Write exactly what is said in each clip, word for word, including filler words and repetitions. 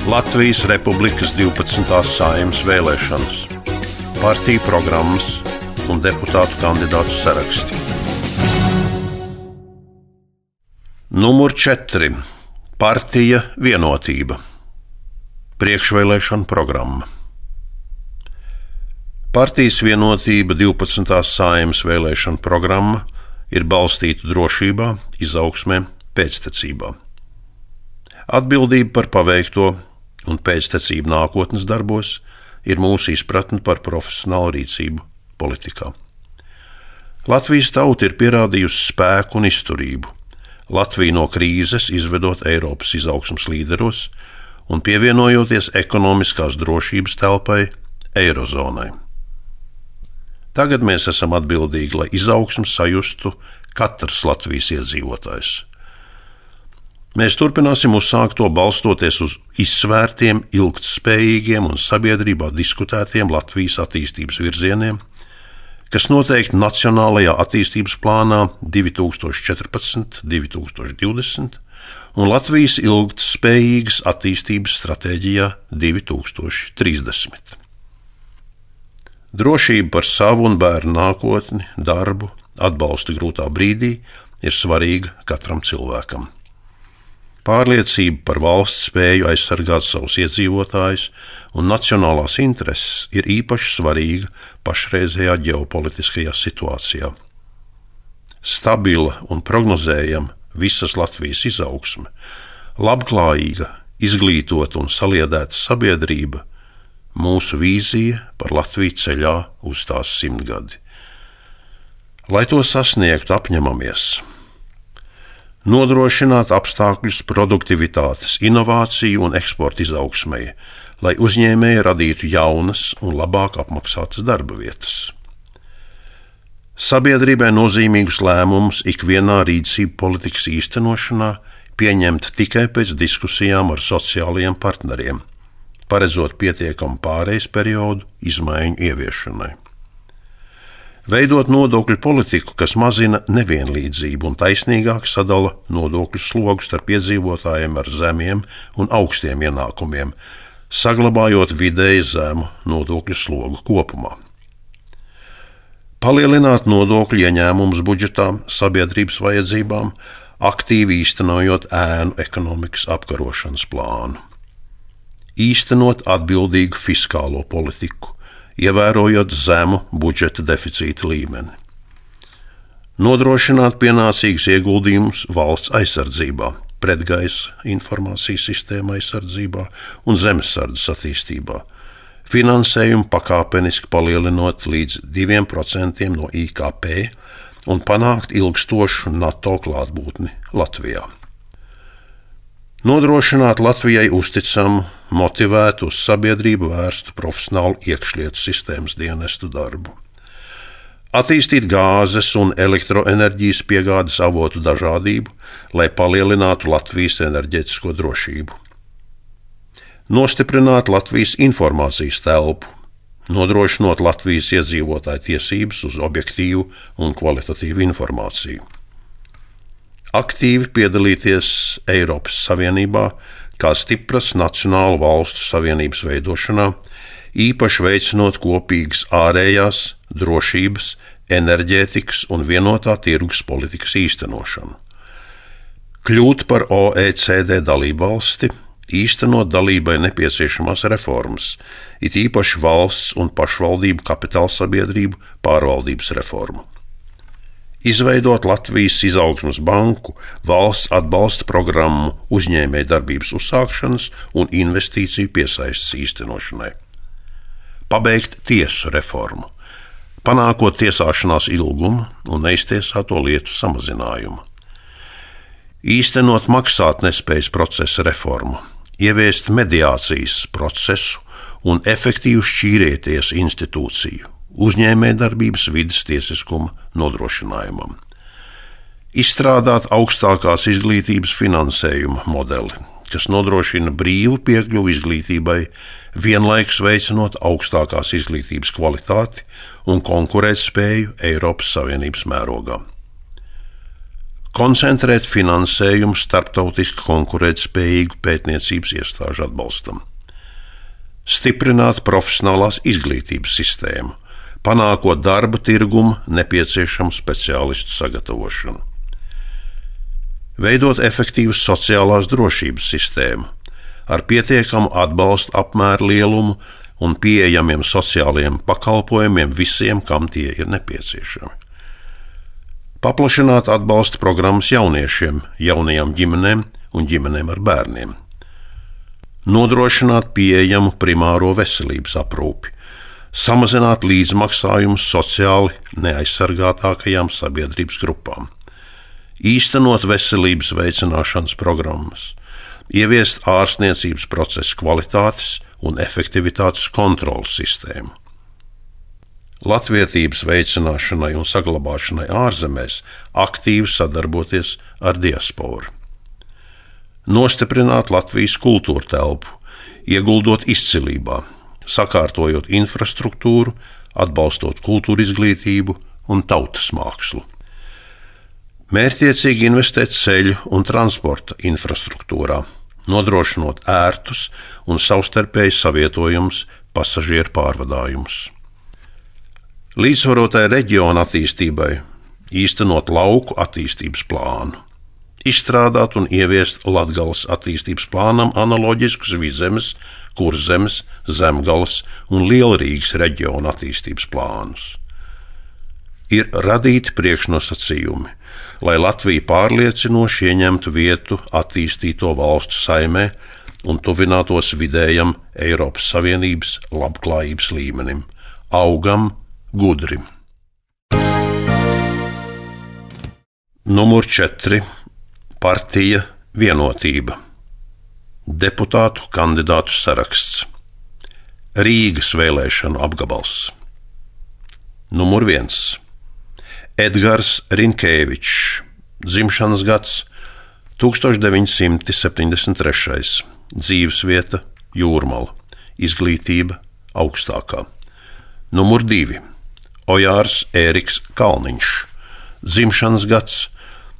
Latvijas Republikas divpadsmitās Saeimas vēlēšanas, partiju programmas un deputātu kandidātu saraksti. Numur četri. Partija Vienotība. Priekšvēlēšana programma. Partijas Vienotība divpadsmitās Saeimas vēlēšana programma ir balstīta drošībā, izaugsmē, pēctecībā. Atbildība par paveikto un pēctecību nākotnes darbos ir mūsu izpratne par profesionālu rīcību politikā. Latvijas tauta ir pierādījusi spēku un izturību. Latviju no krīzes izvedot Eiropas izaugsmes līderos un pievienojoties ekonomiskās drošības telpai Eirozonai. Tagad mēs esam atbildīgi, lai izaugsmu sajustu katrs Latvijas iedzīvotājs. Mēs turpināsim uzsākt to balstoties uz izsvērtiem, ilgtspējīgiem un sabiedrībā diskutētiem Latvijas attīstības virzieniem, kas noteikti Nacionālajā attīstības plānā divi tūkstoši četrpadsmit līdz divi tūkstoši divdesmit un Latvijas ilgtspējīgas attīstības stratēģijā divi tūkstoši trīsdesmit. Drošība par savu un bērnu nākotni, darbu, atbalstu grūtā brīdī ir svarīga katram cilvēkam. Pārliecība par valsts spēju aizsargāt savus iedzīvotājus un nacionālās intereses ir īpaši svarīga pašreizējā ģeopolitiskajā situācijā. Stabila un prognozējama visas Latvijas izaugsme, labklājīga, izglītota un saliedēta sabiedrība, mūsu vīzija par Latviju ceļā uz tās simtgadi. Lai to sasniegtu, apņemamies nodrošināt apstākļus produktivitātes, inovāciju un eksporta izaugsmei, lai uzņēmēji radītu jaunas un labāk apmaksātas darba vietas. Sabiedrībai nozīmīgus lēmumus ikvienā rīcību politikas īstenošanā pieņemt tikai pēc diskusijām ar sociālajiem partneriem, paredzot pietiekamu pārejas periodu izmaiņu ieviešanai. Veidot nodokļu politiku, kas mazina nevienlīdzību un taisnīgāk sadala nodokļu slogu starp iedzīvotājiem ar zemiem un augstiem ienākumiem, saglabājot vidēji zemu nodokļu slogu kopumā. Palielināt nodokļu ieņēmumus budžetā sabiedrības vajadzībām, aktīvi īstenojot ēnu ekonomikas apkarošanas plānu. Īstenot atbildīgu fiskālo politiku, ievērojot zemu budžeta deficīta līmeni. Nodrošināt pienācīgus ieguldījumus valsts aizsardzībā, pretgaisa informācijas sistēma aizsardzībā un zemesardzes attīstībā, finansējumu pakāpeniski palielinot līdz diviem procentiem no I K P un panākt ilgstošu NATO klātbūtni Latvijā. Nodrošināt Latvijai uzticamu, motivētu uz sabiedrību vērstu profesionālu iekšlietu sistēmas dienestu darbu. Attīstīt gāzes un elektroenerģijas piegādes avotu dažādību, lai palielinātu Latvijas enerģētisko drošību. Nostiprināt Latvijas informācijas telpu, nodrošinot Latvijas iedzīvotāju tiesības uz objektīvu un kvalitatīvu informāciju. Aktīvi piedalīties Eiropas Savienībā kā stipras nacionālu valstu savienības veidošanā, īpaši veicinot kopīgas ārējās, drošības, enerģētikas un vienotā tirgus politikas īstenošanu. Kļūt par O E C D dalību valsti, īstenot dalībai nepieciešamās reformas, it īpaši valsts un pašvaldību kapitālsabiedrību pārvaldības reformu. Izveidot Latvijas izaugsmes banku, valsts atbalsta programmu uzņēmēju darbības uzsākšanas un investīciju piesaistes īstenošanai. Pabeigt tiesu reformu, panākot tiesāšanās ilgumu un neiztiesāto lietu samazinājumu. Īstenot maksātnespējas procesa reformu, ieviest mediācijas procesu un efektīvu šķīrēties institūciju, uzņēmējdarbības vides tiesiskuma nodrošinājumam. Izstrādāt augstākās izglītības finansējuma modeli, kas nodrošina brīvu piekļuvi izglītībai, vienlaikus veicinot augstākās izglītības kvalitāti un konkurētspēju Eiropas Savienības mērogā. koncentrēt finansējumu starptautiski konkurētspējīgu pētniecības iestāžu atbalstam, stiprināt profesionālās izglītības sistēmu, panākot darba tirgumu nepieciešamu speciālistu sagatavošanu, veidot efektīvu sociālās drošības sistēmu ar pietiekamu atbalsta apmēru lielumu un pieejamiem sociālajiem pakalpojumiem visiem, kam tie ir nepieciešami. Paplašināt atbalsta programmas jauniešiem, jaunajām ģimenēm un ģimenēm ar bērniem. Nodrošināt pieejamu primāro veselības aprūpi, samazināt līdzmaksājumus sociāli neaizsargātākajām sabiedrības grupām, īstenot veselības veicināšanas programmas, ieviest ārstniecības procesu kvalitātes un efektivitātes kontroles sistēmu. Latvietības veicināšanai un saglabāšanai ārzemēs aktīvi sadarboties ar diasporu. Nostiprināt Latvijas kultūra telpu, ieguldot izcilībā, sakārtojot infrastruktūru, atbalstot kultūra izglītību un tautas mākslu. Mērķtiecīgi investēt ceļu un transporta infrastruktūrā, nodrošinot ērtus un savstarpēji savietojumus pasažieru pārvadājumus. Līdzsvarotai reģiona attīstībai īstenot lauku attīstības plānu, izstrādāt un ieviest Latgales attīstības plānam analoģiskus Vidzemes, Kurzemes, Zemgales un Lielrīgas reģiona attīstības plānus. Ir radīti priekšnosacījumi, lai Latvija pārliecinoši ieņemtu vietu attīstīto valstu saimē un tuvinātos vidējam Eiropas Savienības labklājības līmenim, augam, gudrim. Numur četri. Partija Vienotība. Deputātu kandidātu saraksts. Rīgas vēlēšanu apgabals. Numur viens. Edgars Rinkēvičs, dzimšanas gads tūkstoš deviņi simti septiņdesmit trešais, dzīvesvieta Jūrmala, izglītība augstākā. Numur divi. Ojārs Ēriks Kalniņš, dzimšanas gads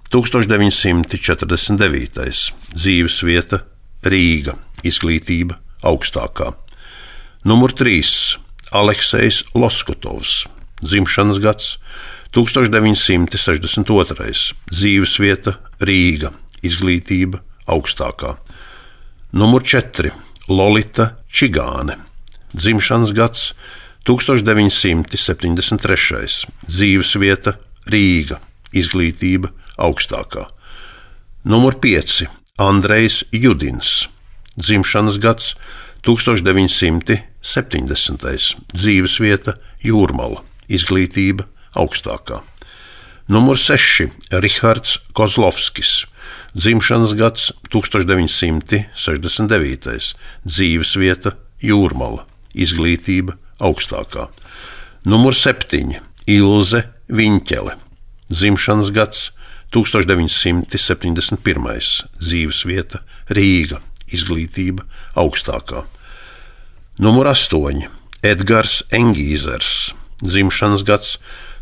tūkstoš deviņi simti četrdesmit devītais, dzīvesvieta Rīga, izglītība augstākā. Numur trīs. Aleksejs Loskotovs, dzimšanas gads tūkstoš deviņi simti sešdesmit otrais, dzīvesvieta Rīga, izglītība augstākā. Numur četri. Lolita Čigāne, dzimšanas gads tūkstoš deviņi simti septiņdesmit trešais, dzīvesvieta Rīga, izglītība augstākā. Numur pieci. Andrejs Judins, dzimšanas gads tūkstoš deviņi simti septiņdesmitais, dzīvesvieta Jūrmala, izglītība augstākā. Numur seši. Rihards Kozlovskis, dzimšanas gads tūkstoš deviņi simti sešdesmit devītais, dzīvesvieta Jūrmala, izglītība augstākā. Numur septiņi. Ilze Viņķele, dzimšanas gads tūkstoš deviņi simti septiņdesmit pirmais, dzīvesvieta Rīga, izglītība augstākā. Numur astoņi. Edgars Engīzers, dzimšanas gads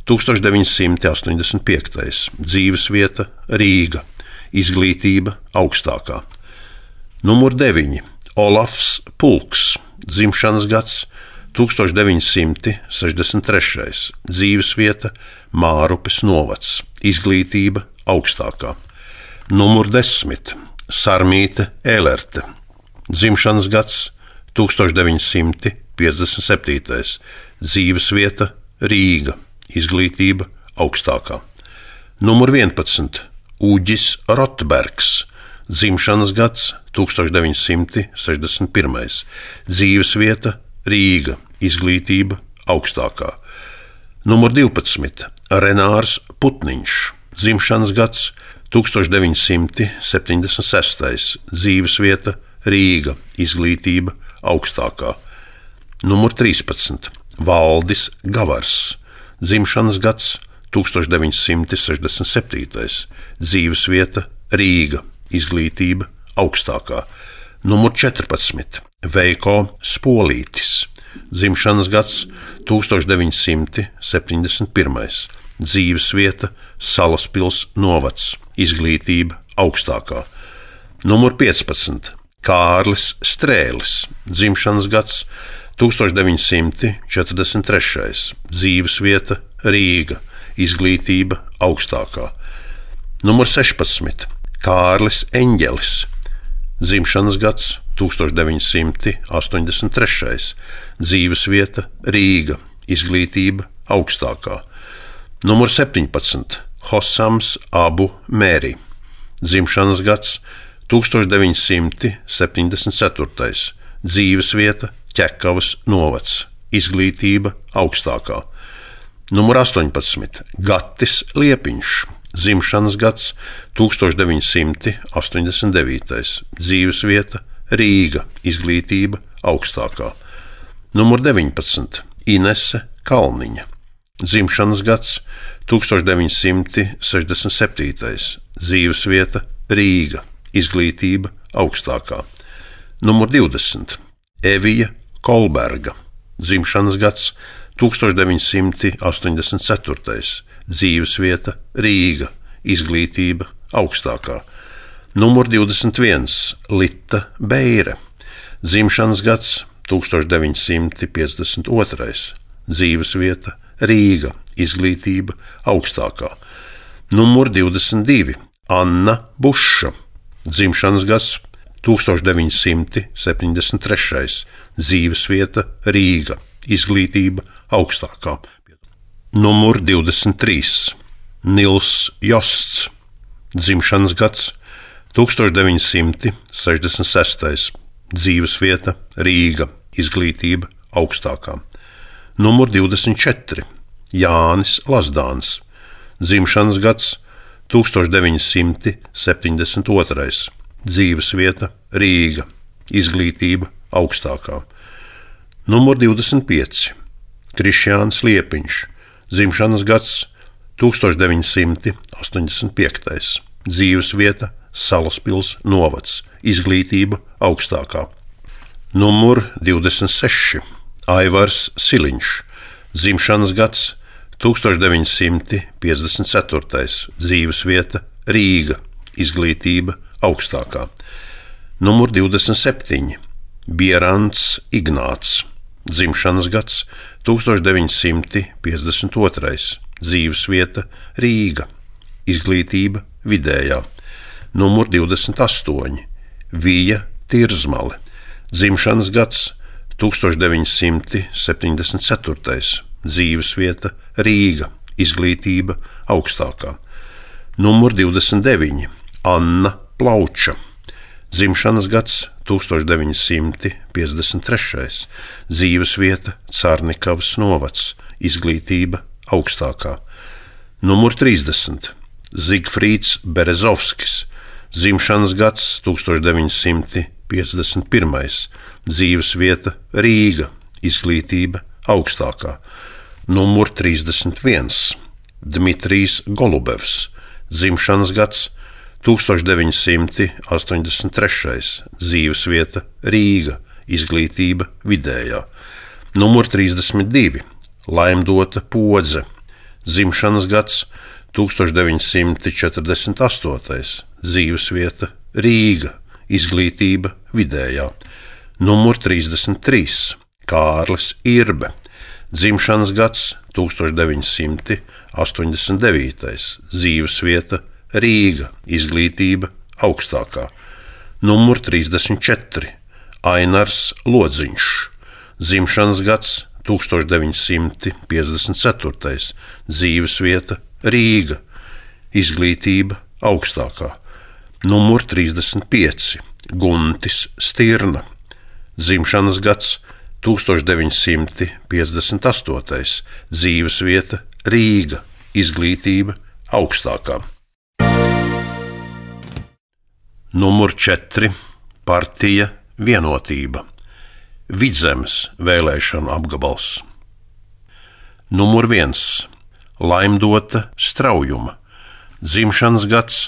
tūkstoš deviņi simti astoņdesmit piektais, dzīvesvieta Rīga, izglītība augstākā. Numur deviņi. Olafs Pulks, dzimšanas gads tūkstoš deviņi simti sešdesmit trešais, dzīvesvieta Mārupes novads, izglītība augstākā. Numur desmit. Sarmīte Ēlerte, dzimšanas gads tūkstoš deviņi simti piecdesmit septītais, dzīvesvieta Rīga, izglītība augstākā. Numur vienpadsmit. Uģis Rotbergs, dzimšanas gads tūkstoš deviņi simti sešdesmit pirmais, dzīvesvieta Rīga, izglītība augstākā. Numur divpadsmit. Renārs Putniņš, dzimšanas gads tūkstoš deviņi simti septiņdesmit sestais, dzīvesvieta Rīga, izglītība augstākā. Numur trīspadsmit. Valdis Gavars, dzimšanas gads tūkstoš deviņi simti sešdesmit septītais, dzīvesvieta Rīga, izglītība augstākā. Numur četrpadsmit. Veiko Spolītis, dzimšanas gads tūkstoš deviņi simti septiņdesmit pirmais, dzīvesvieta Salaspils novads, izglītība augstākā. Numur piecpadsmit. Kārlis Strēlis, dzimšanas gads tūkstoš deviņi simti četrdesmit trešais, dzīvesvieta Rīga, izglītība augstākā. Numur sešpadsmit. Kārlis Eņģelis, dzimšanas gads tūkstoš deviņi simti astoņdesmit trešais, dzīvesvieta Rīga, izglītība augstākā. Numur septiņpadsmit. Hosams Abu Mēri, dzimšanas gads tūkstoš deviņi simti septiņdesmit ceturtais, dzīvesvieta Ķekavas novads, izglītība augstākā. Numur astoņpadsmit. Gatis Liepiņš, dzimšanas gads tūkstoš deviņi simti astoņdesmit devītais, dzīvesvieta Rīga, izglītība augstākā. Numur deviņpadsmit. Inese Kalniņa, dzimšanas gads tūkstoš deviņi simti sešdesmit septītais, dzīvesvieta Rīga, izglītība augstākā. Numur divdesmit. Evija Kolberga, dzimšanas gads tūkstoš deviņi simti astoņdesmit ceturtais, dzīvesvieta Rīga, izglītība augstākā. Numur divdesmit viens. Lita Beire, dzimšanas gads tūkstoš deviņi simti piecdesmit otrais, dzīvesvieta Rīga, izglītība augstākā. Numur divdesmit divi. Anna Buša, dzimšanas gads tūkstoš deviņi simti septiņdesmit trešais, dzīvesvieta Rīga, izglītība augstākā. Numur divdesmit trīs. Nils Josts, dzimšanas gads tūkstoš deviņi simti sešdesmit sestais, dzīvesvieta Rīga, izglītība augstākā. Numur divdesmit četri. Jānis Lazdāns, dzimšanas gads tūkstoš deviņi simti septiņdesmit otrais, dzīvesvieta Rīga, izglītība augstākā. Numur divdesmit pieci. Krišjāns Liepiņš, dzimšanas gads tūkstoš deviņi simti astoņdesmit piektais, dzīvesvieta Salaspils novads, izglītība augstākā. Numur divdesmit seši. Aivars Siliņš, dzimšanas gads tūkstoš deviņi simti piecdesmit ceturtais, dzīvesvieta Rīga, izglītība augstākā. Numur divdesmit septiņi. Bierants Ignāts, dzimšanas gads tūkstoš deviņi simti piecdesmit otrais, dzīvesvieta Rīga, izglītība vidējā. Numur divdesmit astoņi. Vija Tirzmale, dzimšanas gads tūkstoš deviņi simti septiņdesmit ceturtais, dzīvesvieta Rīga, izglītība augstākā. Numur divdesmit deviņi. Anna Plauča, dzimšanas gads tūkstoš deviņi simti piecdesmit trešais, dzīvesvieta Carnikavas novads, izglītība augstākā. Numur trīsdesmit. Zigfrīds Berezovskis, dzimšanas gads tūkstoš deviņi simti piecdesmit pirmais, dzīvesvieta Rīga, izglītība augstākā. Numur trīsdesmit viens. Dmitrijs Golubevs, dzimšanas gads tūkstoš deviņi simti astoņdesmit trešais, dzīvesvieta Rīga, izglītība vidējā. Numur trīsdesmit divi. Laimdota Podze, dzimšanas gads tūkstoš deviņi simti četrdesmit astotais, dzīvesvieta Rīga, izglītība vidējā. Numur trīsdesmit trīs. Kārlis Irbe, dzimšanas gads tūkstoš deviņi simti astoņdesmit devītais, dzīvesvieta Rīga, izglītība augstākā. Numur trīsdesmit četri. Ainars Lodziņš, dzimšanas gads tūkstoš deviņi simti piecdesmit ceturtais, dzīvesvieta Rīga, izglītība augstākā. Numur trīsdesmit pieci. Guntis Stirna, dzimšanas gads tūkstoš deviņi simti piecdesmit astotais, dzīvesvieta Rīga, izglītība augstākā. Numur četri. Partija Vienotība, Vidzemes vēlēšanu apgabals. Numur viens. Laimdota Straujuma, dzimšanas gads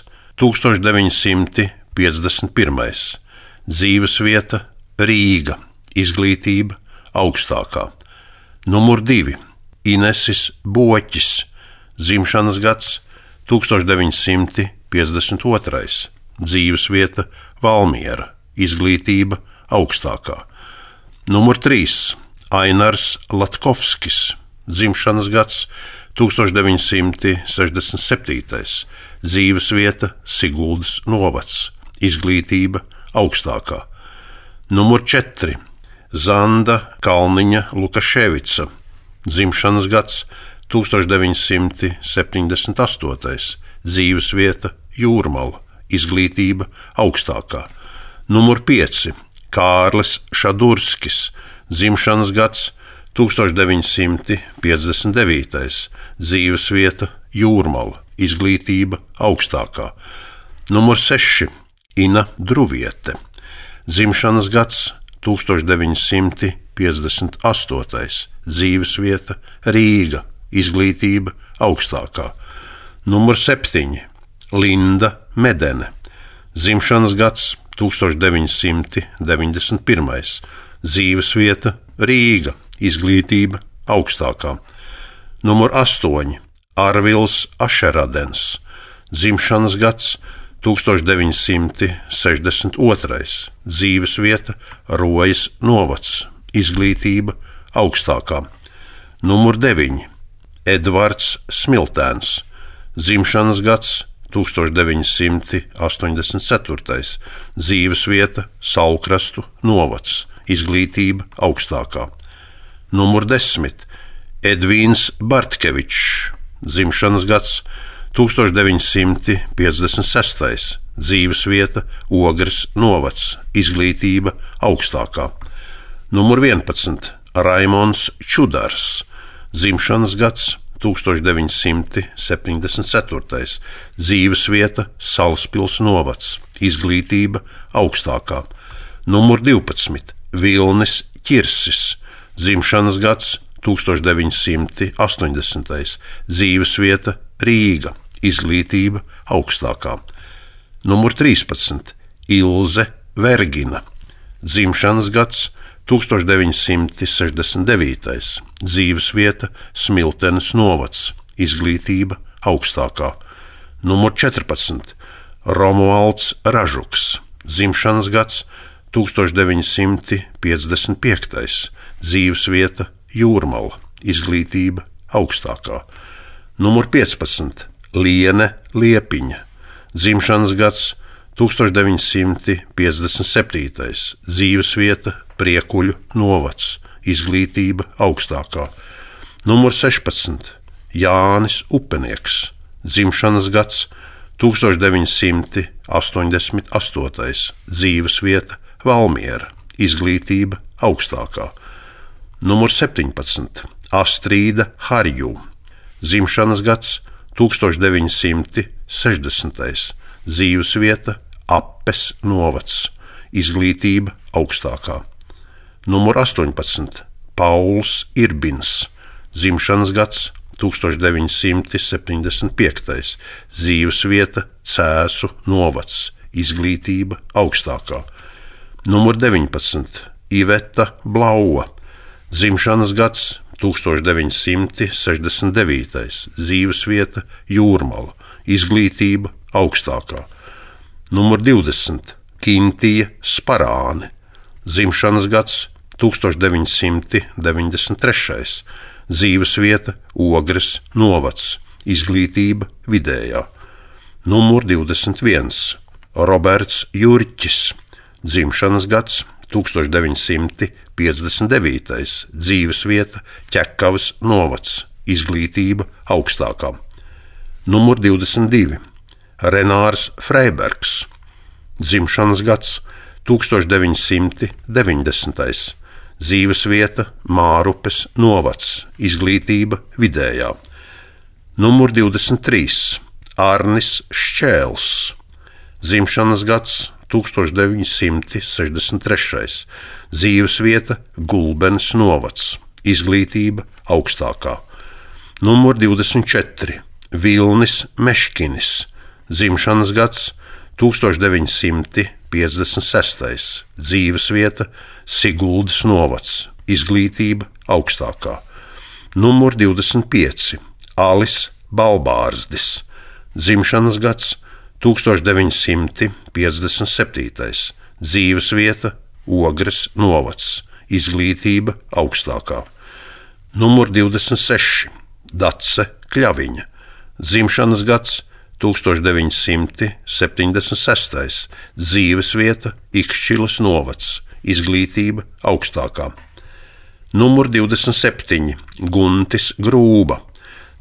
tūkstoš deviņi simti piecdesmit pirmais, dzīvesvieta Rīga, izglītība augstākā. Numur divi. Inesis Boķis, dzimšanas gads tūkstoš deviņi simti piecdesmit otrais, dzīvesvieta Valmiera, izglītība augstākā. Numur trīs. Ainars Latkovskis, dzimšanas gads tūkstoš deviņi simti sešdesmit septītais, dzīvesvieta Siguldas novads, izglītība augstākā. Numur četri. Zanda Kalniņa Lukaševica, dzimšanas gads tūkstoš deviņi simti septiņdesmit astotais, dzīvesvieta Jūrmala, izglītība augstākā. Numur pieci. Kārlis Šadurskis, dzimšanas gads tūkstoš deviņi simti piecdesmit devītais, dzīvesvieta Jūrmala, izglītība augstākā. Numur seši. Ina Druviete, dzimšanas gads tūkstoš deviņi simti piecdesmit astotais, dzīvesvieta Rīga, izglītība augstākā. Numur septiņi. Linda Medene, dzimšanas gads tūkstoš deviņi simti deviņdesmit pirmais, dzīvesvieta Rīga, izglītība augstākā. Numur astoņi. Arvils Ašeradens, dzimšanas gads tūkstoš deviņi simti sešdesmit otrais, dzīvesvieta Rojas novads, izglītība augstākā. Numur deviņi. Edvards Smiltēns, dzimšanas gads tūkstoš deviņi simti astoņdesmit ceturtais, dzīvesvieta Saulkrastu novads, izglītība augstākā. Numur desmit. Edvīns Bartkevičs, dzimšanas gads tūkstoš deviņi simti piecdesmit sestais, dzīvesvieta Ogres novads, izglītība augstākā. Numur vienpadsmit. Raimons Čudars, dzimšanas gads tūkstoš deviņi simti septiņdesmit ceturtais, dzīvesvieta Salaspils novads, izglītība augstākā. Numur divpadsmit. Vilnis Ķirsis, dzimšanas gads tūkstoš deviņi simti astoņdesmitais, dzīvesvieta Rīga, izglītība augstākā. Numur trīspadsmit. Ilze Vergina, dzimšanas gads tūkstoš deviņi simti sešdesmit devītais, dzīvesvieta Smiltenes novads, izglītība augstākā. Numur četrpadsmit. Romualds Ražuks, dzimšanas gads tūkstoš deviņi simti piecdesmit piektais, dzīvesvieta Jūrmala, izglītība augstākā. Numur piecpadsmit. Liene Liepiņa, dzimšanas gads tūkstoš deviņi simti piecdesmit septītais, dzīvesvieta Priekuļu novads, izglītība augstākā. Numur sešpadsmit. Jānis Upenieks, dzimšanas gads tūkstoš deviņi simti astoņdesmit astotais, dzīvesvieta Valmiera, izglītība augstākā. Numur septiņpadsmit. Astrīda Harju, dzimšanas gads tūkstoš deviņi simti sešdesmitais, dzīvesvieta Appes novads, izglītība augstākā. Numur astoņpadsmit. Pauls Irbins, dzimšanas gads tūkstoš deviņi simti septiņdesmit piektais, dzīvesvieta Cēsu novads, izglītība augstākā. Numur deviņpadsmit. Iveta Blauva, dzimšanas gads tūkstoš deviņi simti sešdesmit devītais, dzīvesvieta Jūrmala, izglītība augstākā. Numur divdesmit. Kintija Sparāne, dzimšanas gads tūkstoš deviņi simti deviņdesmit trešais, dzīvesvieta Ogres novads, izglītība vidējā. Numur divdesmit viens. Roberts Jurķis, dzimšanas gads tūkstoš deviņi simti piecdesmit devītais, dzīvesvieta Ķekavas novads, izglītība augstākā. Numur divdesmit divi. Renārs Freibergs, dzimšanas gads tūkstoš deviņi simti deviņdesmitais, dzīvesvieta Mārupes novads, izglītība vidējā. Numur divdesmit trīs. Arnis Šķēls, dzimšanas gads tūkstoš deviņi simti sešdesmit trešais, dzīvesvieta Gulbenes novads, izglītība augstākā. Numur divdesmit četri. Vilnis Meškinis, dzimšanas gads tūkstoš deviņi simti piecdesmit sestais, dzīvesvieta Siguldas novads, izglītība augstākā. Numur divdesmit pieci. Alis Balbārzdis, dzimšanas gads tūkstoš deviņi simti piecdesmit septītais, dzīvesvieta Ogres novads, izglītība augstākā. Numur divdesmit seši, Dace Kļaviņa, dzimšanas gads tūkstoš deviņi simti septiņdesmit sestais, dzīvesvieta Ikšķiles novads, izglītība augstākā. Numur divdesmit septiņi, Guntis Grūba,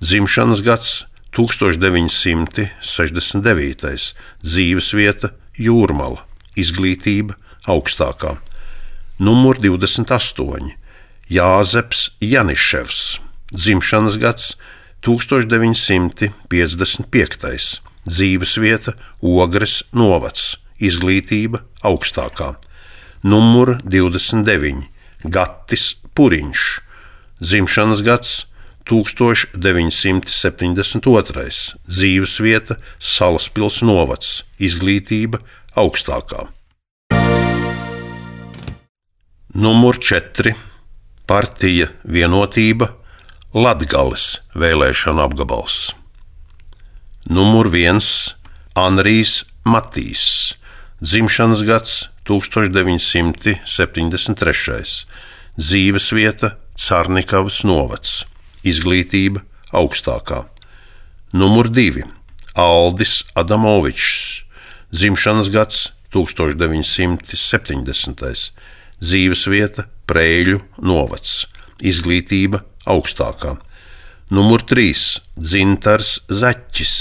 dzimšanas gads tūkstoš deviņi simti sešdesmit devītais, dzīvesvieta Jūrmala, izglītība augstākā. Numur divdesmit astoņi, Jāzeps Janiševs, dzimšanas gads tūkstoš deviņi simti piecdesmit piektais, dzīvesvieta Ogres novads, izglītība augstākā. Numur divdesmit deviņi, Gatis Puriņš, dzimšanas gads tūkstoš deviņi simti septiņdesmit otrais, dzīvesvieta Salaspils novads, izglītība augstākā. Numur četri, Partija Vienotība, Latgales vēlēšana apgabals. Numur viens, Anrijs Matīs, dzimšanas gads tūkstoš deviņi simti septiņdesmit trešais, dzīvesvieta Carnikavas novads, izglītība augstākā. Numur divi, Aldis Adamovičs, dzimšanas gads tūkstoš deviņi simti septiņdesmitais, dzīvesvieta Preļu novads, izglītība augstākā. Numur trīs, Dzintars Zaķis,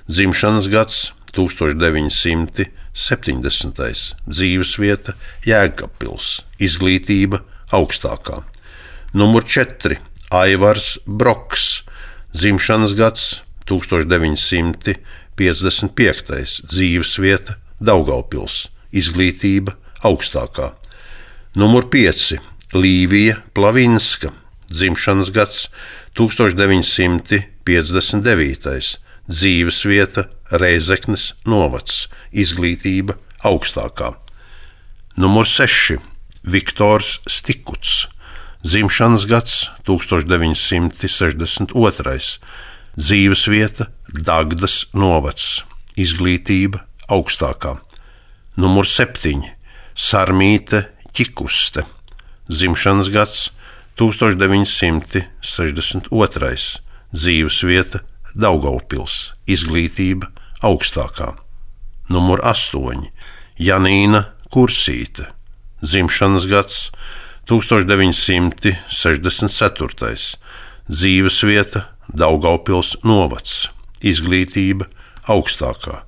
dzimšanas gads tūkstoš deviņi simti septiņdesmitais, dzīvesvieta Jēkabpils, izglītība augstākā. Numur četri, Aivars Broks, dzimšanas gads tūkstoš deviņi simti piecdesmit piektais, dzīvesvieta Daugavpils, izglītība augstākā. Numur pieci, Līvija Plavinska, dzimšanas gads tūkstoš deviņi simti piecdesmit devītais, dzīvesvieta Reizeknes novads, izglītība augstākā. Numur seši, Viktors Stikuts, dzimšanas gads tūkstoš deviņi simti sešdesmit otrais, dzīvesvieta Dagdas novads, izglītība augstākā. Numur septiņi, Sarmīte Ķikuste, dzimšanas gads tūkstoš deviņi simti sešdesmit otrais, dzīvesvieta Daugavpils, izglītība augstākā. Numur astoņi, Janīna Kursīte, dzimšanas gads tūkstoš deviņi simti sešdesmit ceturtais, dzīvesvieta Daugavpils novads, izglītība augstākā.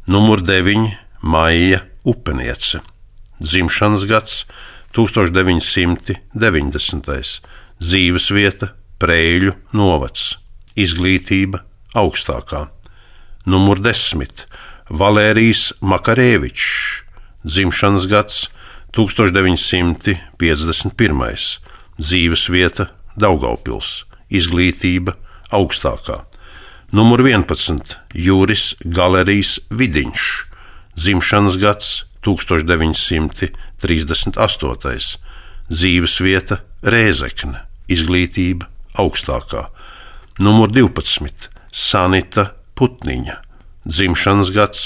Numur deviņi, Maija Upeniece, dzimšanas gads tūkstoš deviņi simti deviņdesmitais, dzīvesvieta Preļu novads, izglītība augstākā. Numur desmit, Valērijs Makarēvičs, dzimšanas gads tūkstoš deviņi simti piecdesmit pirmais, dzīvesvieta Daugavpils, izglītība augstākā. Numur vienpadsmit, Juris Galerijs Vidiņš, dzimšanas gads tūkstoš deviņi simti trīsdesmit astotais, dzīvesvieta Rēzekne, izglītība augstākā. Numur divpadsmit, Sanita Putniņa, dzimšanas gads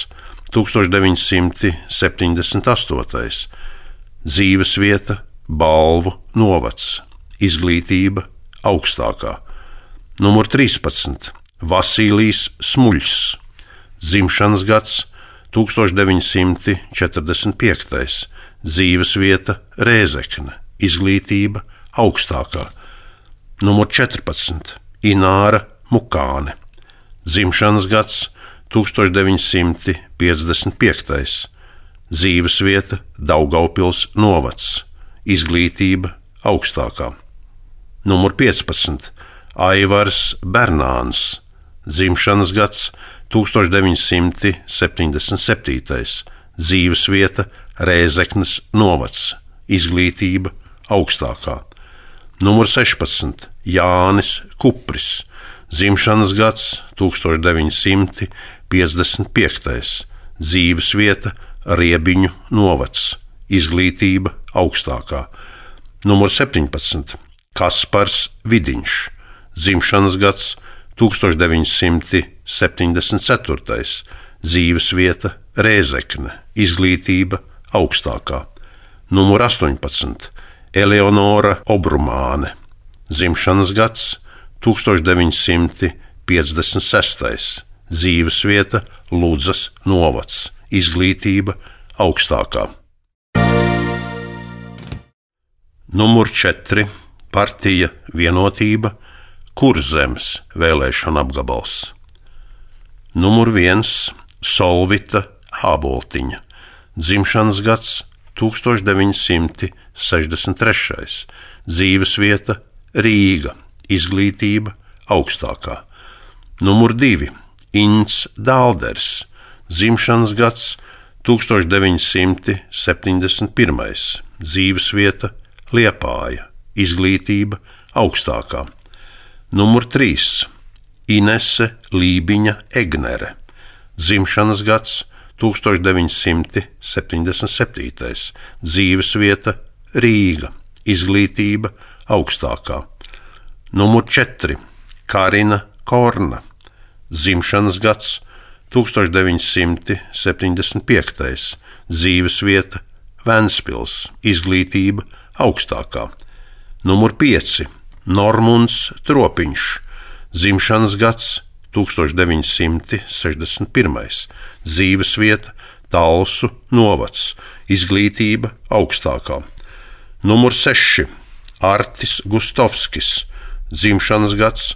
tūkstoš deviņi simti septiņdesmit astotais, dzīvesvieta Balvu novads, izglītība augstākā. Numur trīspadsmit, Vasīlijs Smuļs, dzimšanas gads tūkstoš deviņi simti četrdesmit piektais, dzīvesvieta Rēzekne, izglītība augstākā. Numur četrpadsmit, Ināra Mukāne, dzimšanas gads tūkstoš deviņi simti piecdesmit piektais, dzīvesvieta Daugavpils novads, izglītība augstākā. Numur piecpadsmit, Aivars Bernāns, dzimšanas gads tūkstoš deviņi simti septiņdesmit septītais, dzīvesvieta Rēzeknes novads, izglītība augstākā. Numur sešpadsmit, Jānis Kupris, dzimšanas gads tūkstoš deviņi simti piecdesmit piektais, dzīvesvieta Riebiņu novads, izglītība augstākā. Numur septiņpadsmit, Kaspars Vidiņš, dzimšanas gads tūkstoš deviņi simti septiņdesmit ceturtais. Dzīvesvieta Rēzekne, izglītība augstākā. Numur astoņpadsmit. Eleonora Obrumāne, dzimšanas gads tūkstoš deviņi simti piecdesmit sestais. Dzīvesvieta Ludzas novads, izglītība augstākā. Numur četri. Partija Vienotība, Kurzemes vēlēšana apgabals. Numur viens. Solvita Āboltiņa, dzimšanas gads tūkstoš deviņi simti sešdesmit trešais. Dzīvesvieta Rīga, izglītība augstākā. Numur divi. Ints Dālders, dzimšanas gads tūkstoš deviņi simti septiņdesmit pirmais. Dzīvesvieta Liepāja, izglītība augstākā. Numur trīs. Inese Lībiņa Egnere, dzimšanas gads tūkstoš deviņi simti septiņdesmit septītais. Dzīvesvieta Rīga, izglītība augstākā. Numur četri. Karina Korna, dzimšanas gads tūkstoš deviņi simti septiņdesmit piektais. Dzīvesvieta Ventspils, izglītība augstākā. Numur pieci. Normunds Tropiņš, dzimšanas gads tūkstoš deviņi simti sešdesmit pirmais. Dzīvesvieta Talsu novads, izglītība augstākā. Numur seši. Artis Gustovskis, dzimšanas gads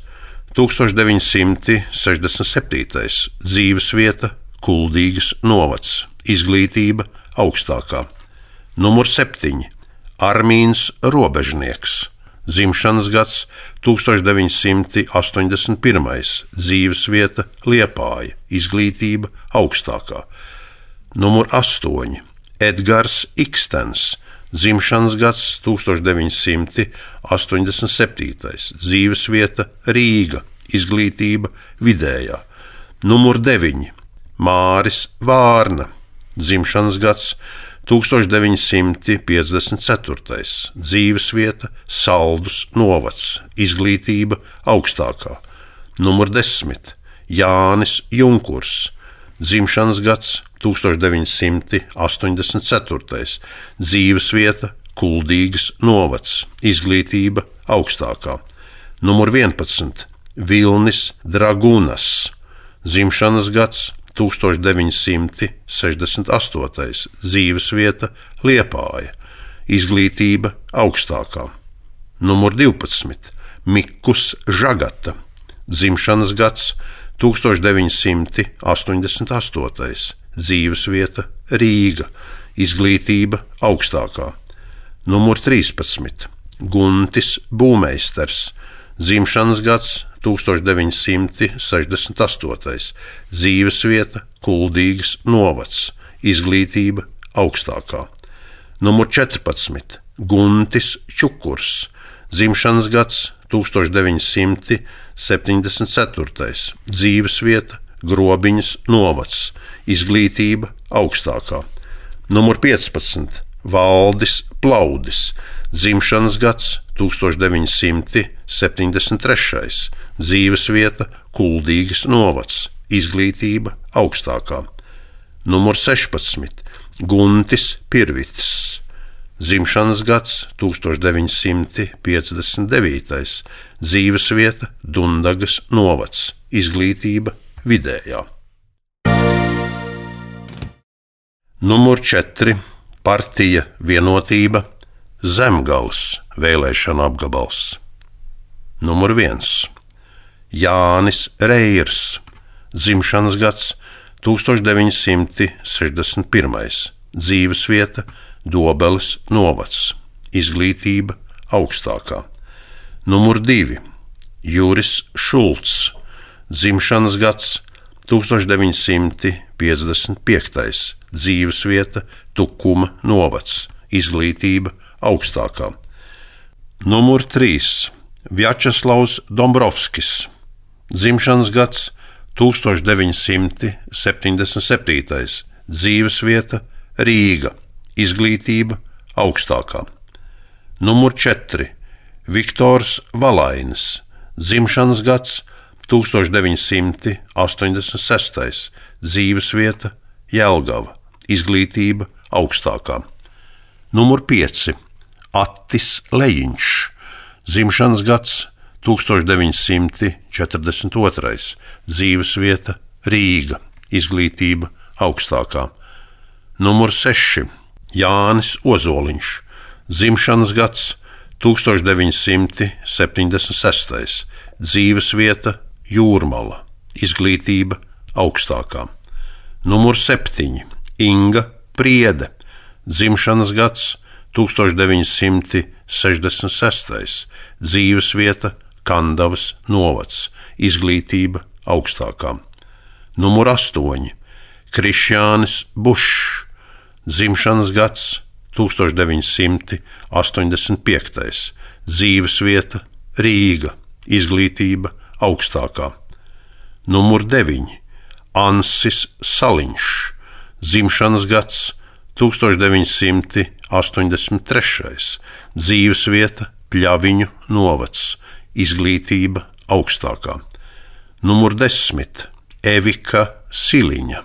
tūkstoš deviņi simti sešdesmit septītais. Dzīvesvieta Kuldīgas novads, izglītība augstākā. Numur septiņi. Armīns Robežnieks, dzimšanas gads tūkstoš deviņi simti astoņdesmit pirmais. Dzīvesvieta Liepāja, izglītība augstākā. Numur astoņi. Edgars Ikstens, dzimšanas gads tūkstoš deviņi simti astoņdesmit septītais. Dzīvesvieta Rīga, izglītība vidējā. Numur deviņi. Māris Vārna, dzimšanas gads tūkstoš deviņi simti piecdesmit ceturtais. Dzīvesvieta Saldus novads, izglītība augstākā. Numur desmit. Jānis Junkurs, dzimšanas gads tūkstoš deviņi simti astoņdesmit ceturtais. Dzīvesvieta Kuldīgas novads, izglītība augstākā. Numur vienpadsmit. Vilnis Dragūnas, dzimšanas gads tūkstoš deviņi simti sešdesmit astotais. Dzīvesvieta Liepāja, izglītība augstākā. Numur divpadsmit. Mikus Žagata, dzimšanas gads tūkstoš deviņi simti astoņdesmit astotais. Dzīvesvieta Rīga, izglītība augstākā. Numur trīspadsmit. Guntis Būmeisters, dzimšanas gads tūkstoš deviņi simti sešdesmit astotais. Dzīvesvieta Kuldīgas novads, izglītība augstākā. Numur četrpadsmit. Guntis Čukurs, dzimšanas gads tūkstoš deviņi simti septiņdesmit ceturtais. Dzīvesvieta Grobiņas novads, izglītība augstākā. Numur piecpadsmit. Valdis Plaudis, dzimšanas gads tūkstoš deviņi simti septiņdesmit trešais. Dzīvesvieta Kuldīgas novads, izglītība augstākā. Numur sešpadsmit. Guntis Pirvits, dzimšanas gads tūkstoš deviņi simti piecdesmit devītais. Dzīvesvieta Dundagas novads, izglītība vidējā. Numur četri. Partija Vienotība, Zemgales vēlēšana apgabals. Numur viens. Jānis Reirs, dzimšanas gads tūkstoš deviņi simti sešdesmit pirmais. Dzīvesvieta Dobeles novads, izglītība augstākā. Numur divi. Juris Šulcs, dzimšanas gads tūkstoš deviņi simti piecdesmit piektais. Dzīvesvieta Tukuma novads, izglītība augstākā. Numur trīs. Vjačeslavs Dombrovskis, dzimšanas gads tūkstoš deviņi simti septiņdesmit septītais. Dzīvesvieta Rīga, izglītība augstākā. Numur četri. Viktors Valainis, dzimšanas gads tūkstoš deviņi simti astoņdesmit sestais dzīvesvieta Jelgava, izglītība augstākā. Numur pieci Attis Lejiņš, dzimšanas gads tūkstoš deviņi simti četrdesmit otrais dzīvesvieta Rīga, izglītība augstākā. Numur seši Jānis Ozoliņš, dzimšanas gads tūkstoš deviņi simti septiņdesmit sestais dzīvesvieta Jūrmala, izglītība augstākā. Numur septiņi Inga Priede, dzimšanas gads tūkstoš deviņi simti sešdesmit sestais dzīvesvieta Kandavas novads, izglītība augstākā. Numur astoņi Krišjānis Bušs, dzimšanas gads tūkstoš deviņi simti astoņdesmit piektais dzīvesvieta Rīga, izglītība augstākā. Numur deviņi Ansis Saliņš, dzimšanas gads tūkstoš deviņi simti astoņdesmit trešais dzīvesvieta Pļaviņu novads, izglītība augstākā. Numur desmit Evika Siliņa,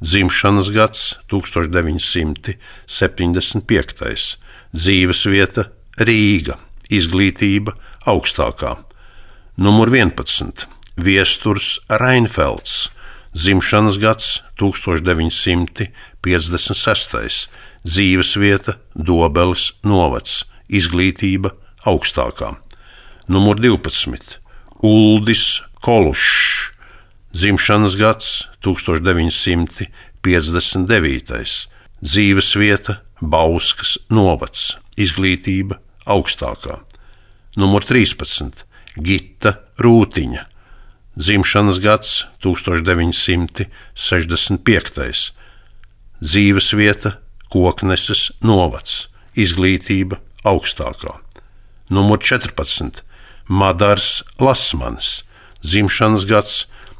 dzimšanas gads tūkstoš deviņi simti septiņdesmit piektais dzīvesvieta Rīga, izglītība augstākā. Numur vienpadsmit Viesturs Reinfelds, dzimšanas gads tūkstoš deviņi simti piecdesmit sestais dzīvesvieta Dobeles novads, izglītība augstākā. Numur divpadsmit Uldis Kolušs, dzimšanas gads tūkstoš deviņi simti piecdesmit devītais dzīvesvieta Bauskas novads, izglītība augstākā. Numur trīspadsmit Gita Rūtiņa, dzimšanas gads tūkstoš deviņi simti sešdesmit piektais dzīvesvieta Kokneses novads, izglītība augstākā. Numur četrpadsmit Madars Lasmanis, dzimšanas gads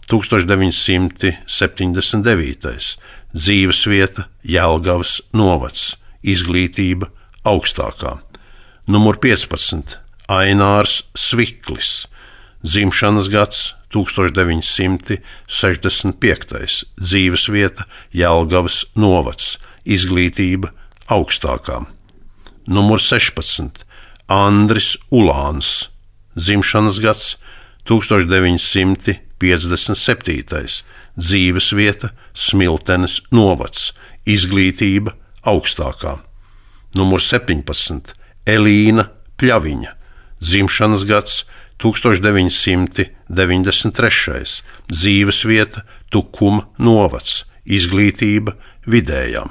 tūkstoš deviņi simti septiņdesmit devītais dzīvesvieta Jelgavas novads, izglītība augstākā. Numur piecpadsmit Ainārs Sviklis, dzimšanas gads tūkstoš deviņi simti sešdesmit piektais dzīvesvieta Jelgavas novads, izglītība augstākā. Numur sešpadsmit Andris Ulāns, dzimšanas gads tūkstoš deviņi simti piecdesmit septītais dzīvesvieta Smiltenes novads, izglītība augstākā. Numur septiņpadsmit Elīna Pļaviņa, dzimšanas gads tūkstoš deviņi simti deviņdesmit trešais dzīvesvieta Tukuma novads, izglītība vidējā.